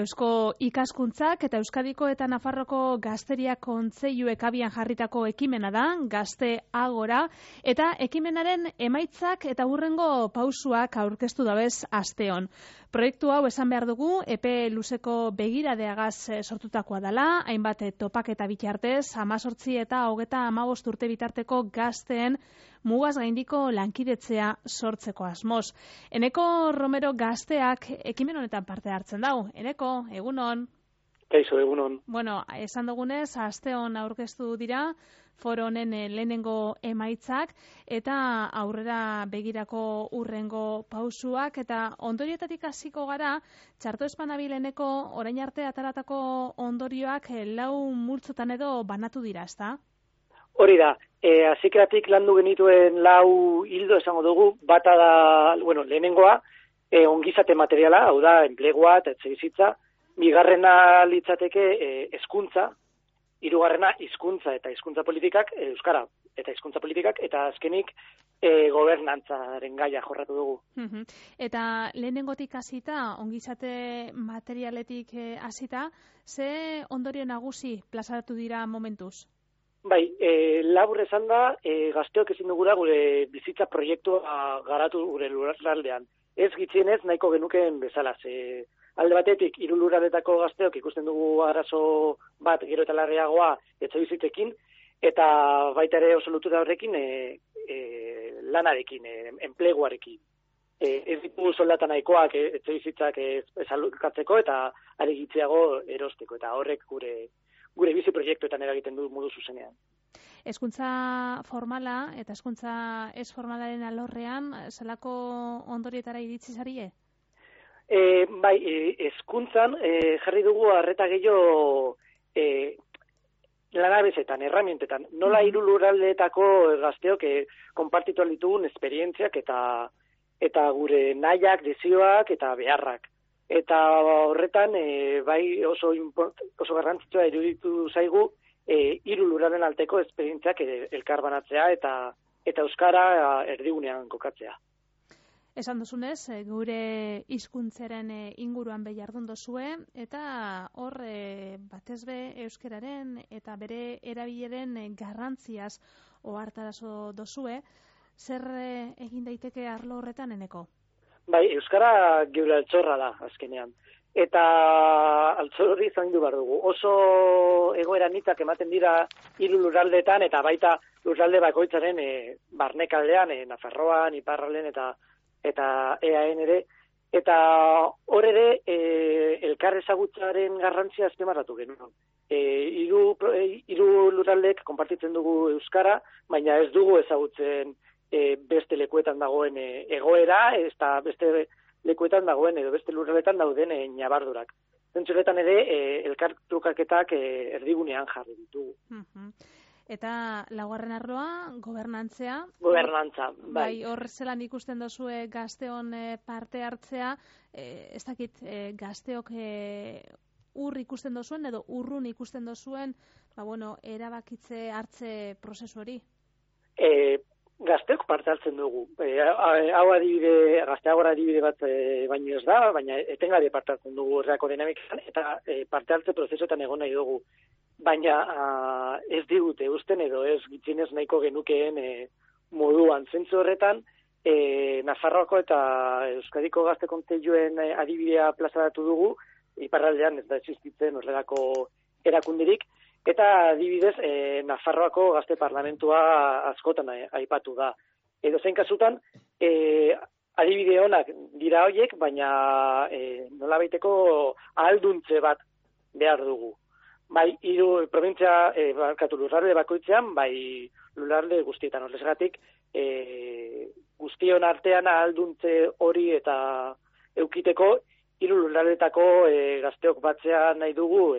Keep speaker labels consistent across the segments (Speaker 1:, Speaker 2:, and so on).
Speaker 1: Eusko Ikaskuntzak eta Euskadiko eta Nafarroko Gazteria Kontseiluek abian jarritako ekimena da, Gazte Agora, eta ekimenaren emaitzak eta hurrengo pausuak aurkeztu dabez asteon. Proiektu hau esan behar dugu, epe luzeko begiradeagaz sortutakoa dela, hainbat topaketa bitartez, 18 eta 35 urte bitarteko gazteen mugaz gaindiko lankidetzea sortzeko asmoz. Eneko Romero Gazteak ekimen honetan parte hartzen dau. Eneko, egunon?
Speaker 2: Kaixo, egunon.
Speaker 1: Bueno, esan dugunez, asteon aurkeztu dira, foro honen lehenengo emaitzak, eta aurrera begirako hurrengo pausuak, eta ondorioetatik hasiko gara, txarto espanabileneko orain arte ataratako ondorioak 4 multzotan edo banatu dira, ezta?
Speaker 2: Hori da, hasieratik landu genituen 4 hildo esango dugu, bata da, lehenengoa, ongizate materiala, hau da, enplegua eta etxebizitza, bigarrena litzateke hezkuntza, hirugarrena hizkuntza eta hizkuntza politikak, euskara eta hizkuntza politikak, eta azkenik gobernantzaren gaia jorratu dugu.
Speaker 1: Eta lehenengotik hasita, ongizate materialetik hasita, ze ondorio nagusi plazaratu dira momentuz?
Speaker 2: Bai, labur esan da, gazteok ezin dugula gure bizitza proiektua garatu gure lurraldean. Ez gitxienez nahiko genukeen bezala, alde batetik, 3 lurraldetako gazteok ikusten dugu arazo bat gero eta larriagoa etxebizitzekin, eta baita ere oso lotura horrekin lanarekin, enpleguarekin. Ez ditugu soldata nahikoak etxebizitzak ezalukatzeko eta are gitxiago erosteko, eta horrek gure bizi proiektuetan eragiten du modu zuzenean.
Speaker 1: Hezkuntza formala eta hezkuntza ez formalaren alorrean, zelako ondorietara iritsi zarie?
Speaker 2: Bai, hezkuntzan jarri dugu arreta gehiago lanabesetan, erramientetan. Nola 3 lurraldeetako gazteok konpartitu ditugun esperientziak eta gure nahiak, desioak eta beharrak. Eta horretan, bai oso garrantzitsua iruditu zaigu 3 lurralden alteko esperientziak elkarbanatzea eta euskara erdigunean kokatzea.
Speaker 1: Esan duzunez, gure hizkuntzaren inguruan jardun dozue, eta hor batez be euskararen eta bere erabileren garrantziaz ohartarazo dozue, zer egin daiteke arlo horretan, Eneko?
Speaker 2: Bai, euskara geure altxorra da, azkenean. Eta altxorri zaindu behar dugu. Oso egoera nitzak ematen dira 3 lurraldeetan, eta baita lurralde bakoitzaren barnekaldean, Nafarroan, Iparralden eta EAN ere. Eta hor ere, elkar ezagutzaren garrantzia azpimarratu genuen. 3 lurraldeek konpartitzen dugu euskara, baina ez dugu ezagutzen beste lekuetan dagoen egoera, eta beste lekuetan dagoen edo beste lurraletan dauden ñabardurak. Zentzuretan ere, elkartrukaketak erdigunean jarri ditugu.
Speaker 1: Eta laugarren arloa, gobernantzea.
Speaker 2: Gobernantza, bai.
Speaker 1: Hor zelan ikusten dozue gazteon parte hartzea, ez dakit gazteok ur ikusten dozuen edo urrun ikusten dozuen, erabakitze hartze prozesu hori?
Speaker 2: Gazteok parte hartzen dugu. Hau adibide, Gazteagora adibide bat baino ez da, baina etengabe parte hartzen dugu horreako dinamikan, eta parte hartze prozesuetan egon nahi dugu. Baina ez digute usten edo ez gitzinez nahiko genukeen moduan. Zentzu horretan, Nafarroako eta Euskadiko Gazte Kontseiluen adibidea plazaratu dugu, iparraldean ez da existitzen horrelako erakundirik, eta adibidez, Nafarroako Gazte Parlamentua askotan aipatu da. Edo zein kasutan, adibide onak dira horiek, baina nolabaiteko ahalduntze bat behar dugu. Bai, 3 provintzia, lurralde bakoitzean, bai lurralde guztietan horrezgatik, guztion artean ahalduntze hori eta eukiteko 3 lurraldetako gazteok batzea nahi dugu,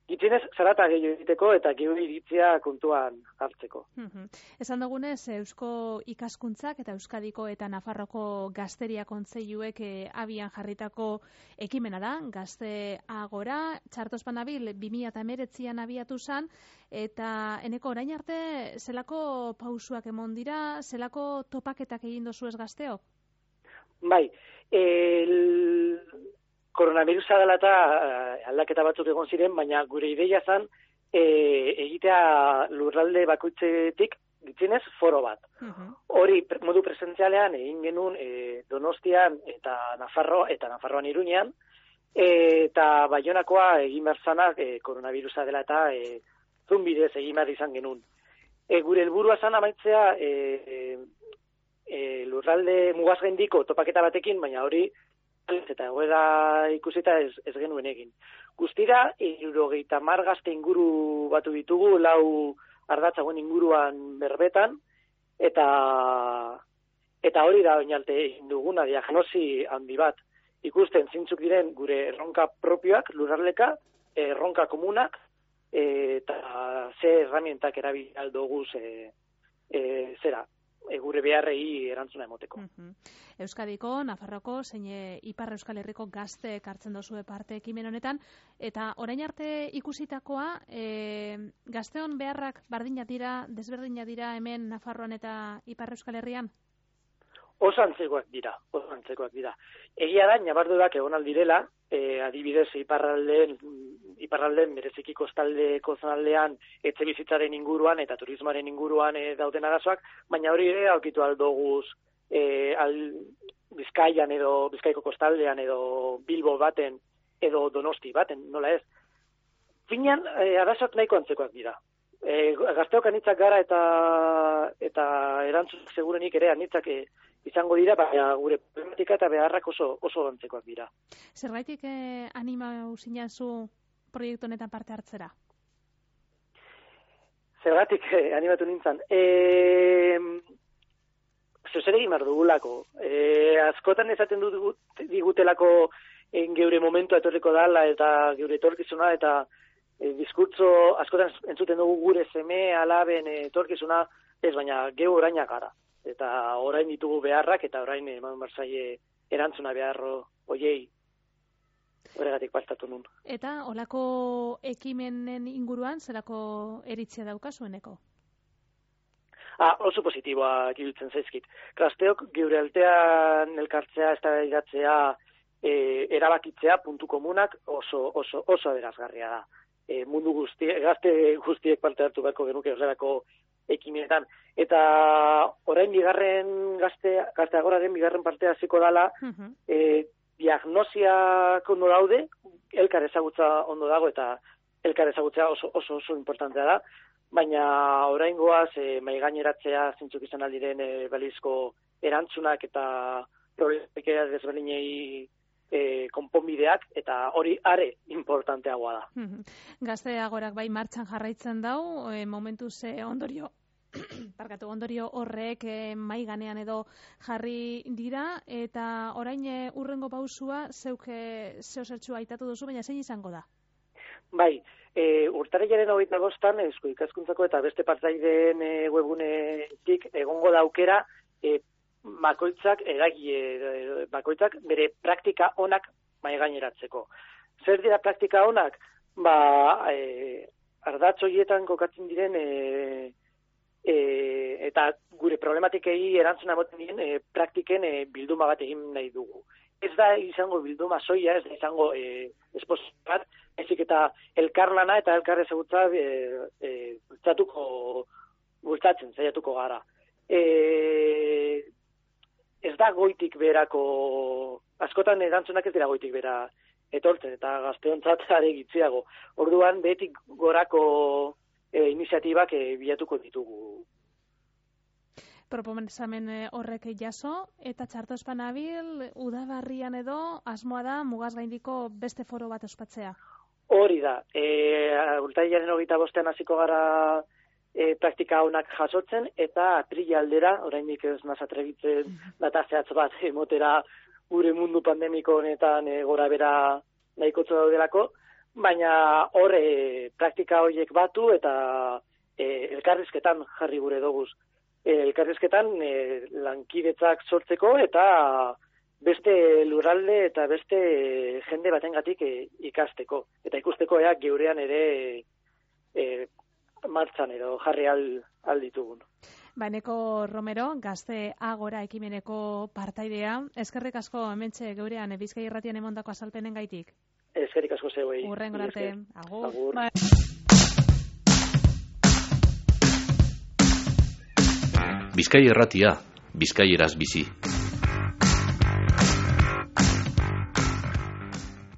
Speaker 2: gitzinez, zarata gehiago egiteko eta gehiago iritzia kontuan hartzeko.
Speaker 1: Esan dugunez, Eusko Ikaskuntzak eta Euskadiko eta Nafarroko Gazteria Kontseiluek abian jarritako ekimena da, Gazte Agora, txarto espanabil 2019an abiatu zen, eta Eneko orain arte zelako pausuak emon dira, zelako topaketak egin dozu ez gazteok?
Speaker 2: Bai, koronavirusa dela eta aldaketa batzuk egon ziren, baina gure ideia zen egitea lurralde bakoitzetik gitzinez foro bat. Hori modu presentzialean egin genuen Donostian eta Nafarroan Iruñean, eta Baionakoa egin behar zanak koronavirusa dela eta Zoom bidez egin behar izan genuen. Gure helburua zan amaitzea lurralde mugazgaindiko topaketa batekin, baina hori eta egoera ikusita ez genuen egin. Guztira, 70 gazte inguru batu ditugu, 4 ardatzagoen inguruan berbetan, eta hori da oinalte egin duguna, diagnosi handi bat. Ikusten zintzuk diren gure erronka propioak, lurraldeka, erronka komunak, eta ze herramientak erabili aldoguz gure beharrei erantzuna emoteko.
Speaker 1: Euskadiko, Nafarroko, zein Ipar Euskal Herriko gazte hartzen dozue parte ekimen honetan, eta orain arte ikusitakoa, gazteon beharrak bardina dira, desberdina dira hemen Nafarroan eta Ipar Euskal Herrian?
Speaker 2: Oso antzekoak dira. Egia da, nabardurak egon aldirela, adibidez iparraldeen bereziki kostaldeko zonaldean etxe bizitzaren inguruan eta turismoaren inguruan dauden arazoak, baina hori ere aurkitu aldoguz Bizkaian edo Bizkaiko kostaldean edo Bilbo baten edo Donosti baten, nola ez. Finean, arazoak nahiko antzekoak dira. Gazteok anitzak gara eta erantzun segurenik ere anitzak izango dira, baina gure problematika eta beharrak oso antzekoak dira.
Speaker 1: Zergaitik animau zinazu proiektu honetan parte hartzera?
Speaker 2: Zergatik animatu nintzen. Zer egin behar dugulako. Askotan esaten digutelako geure momentua etorriko dala eta geure etorkizuna eta diskurtso askotan entzuten dugu gure seme alaben etorkizuna, ez baina geu oraina gara. Eta orain ditugu beharrak eta orain eman barzaie erantzuna beharro hoiei. Horregatik pastatu nun.
Speaker 1: Eta olako ekimenen inguruan zerako eritzea daukazueneko?
Speaker 2: Oso positiboak iruditzen zaizkit. Gazteok geure altean elkartzea, eztabaidatzea, erabakitzea puntu komunak oso aberasgarria da. Mundu gazte guztiek parte hartu beharko genuke horrelako ekimenetan. Eta orain gazte agoraren bigarren partea hasiko dala, diagnosiak ondo daude, elkar ezagutza ondo dago eta elkar ezagutzea oso importantea da, baina oraingoaz maigaineratzea zintzuk izan aldiren balizko erantzunak eta problemikea desberdinei konponbideak, eta hori are importanteagoa da.
Speaker 1: Gazte agorak bai martxan jarraitzen dau, momentuz ondorio horrek mai ganean edo jarri dira, eta orain urrengo pausua zeuk zeosertxua aitatu duzu, baina zein izango da?
Speaker 2: Bai, urtarrilaren 25an Eusko Ikaskuntzako eta beste partaideen webunetik egongo da aukera bakoitzak bere praktika onak maigaineratzeko. Zer dira praktika onak? Ardatz horietan kokatzen diren eta gure problematikei erantzuna ematen diren praktiken bilduma bat egin nahi dugu. Ez da izango bilduma soia, ez da izango esposio bat, ezik eta elkarlana eta elkar ezagutza bultzatzen saiatuko gara. Ez da goitik berako, askotan erantzunak ez dira goitik bera etortzen, eta gazteontzat are gitziago. Orduan, behetik gorako iniziatibak bilatuko ditugu.
Speaker 1: Proposamen horrek jaso, eta txartospan abil, udabarrian edo, asmoa da mugazgaindiko beste foro bat ospatzea?
Speaker 2: Hori da. Urtarrilaren 25an hasiko gara praktika honak jasotzen, eta atrila aldera, oraindik ez naz atrebitzen data zehatz bat emotera gure mundu pandemiko honetan gora bera nahikotzo daudelako, baina hor praktika horiek batu eta elkarrizketan jarri gure doguz. Elkarrizketan lankidetzak sortzeko eta beste lurralde eta beste jende batengatik ikasteko. Eta ikusteko geurean ere martxan edo jarri alditugun.
Speaker 1: Eneko Romero, Gazte Agora ekimeneko partaidea. Eskerrik asko hementxe geurean Bizkai Irratian emondako azalpenen gaitik.
Speaker 2: Eskerrik asko zeuei.
Speaker 1: Hurrengo arte. Agur.
Speaker 3: Bizkai Irratia, bizkaieraz bizi.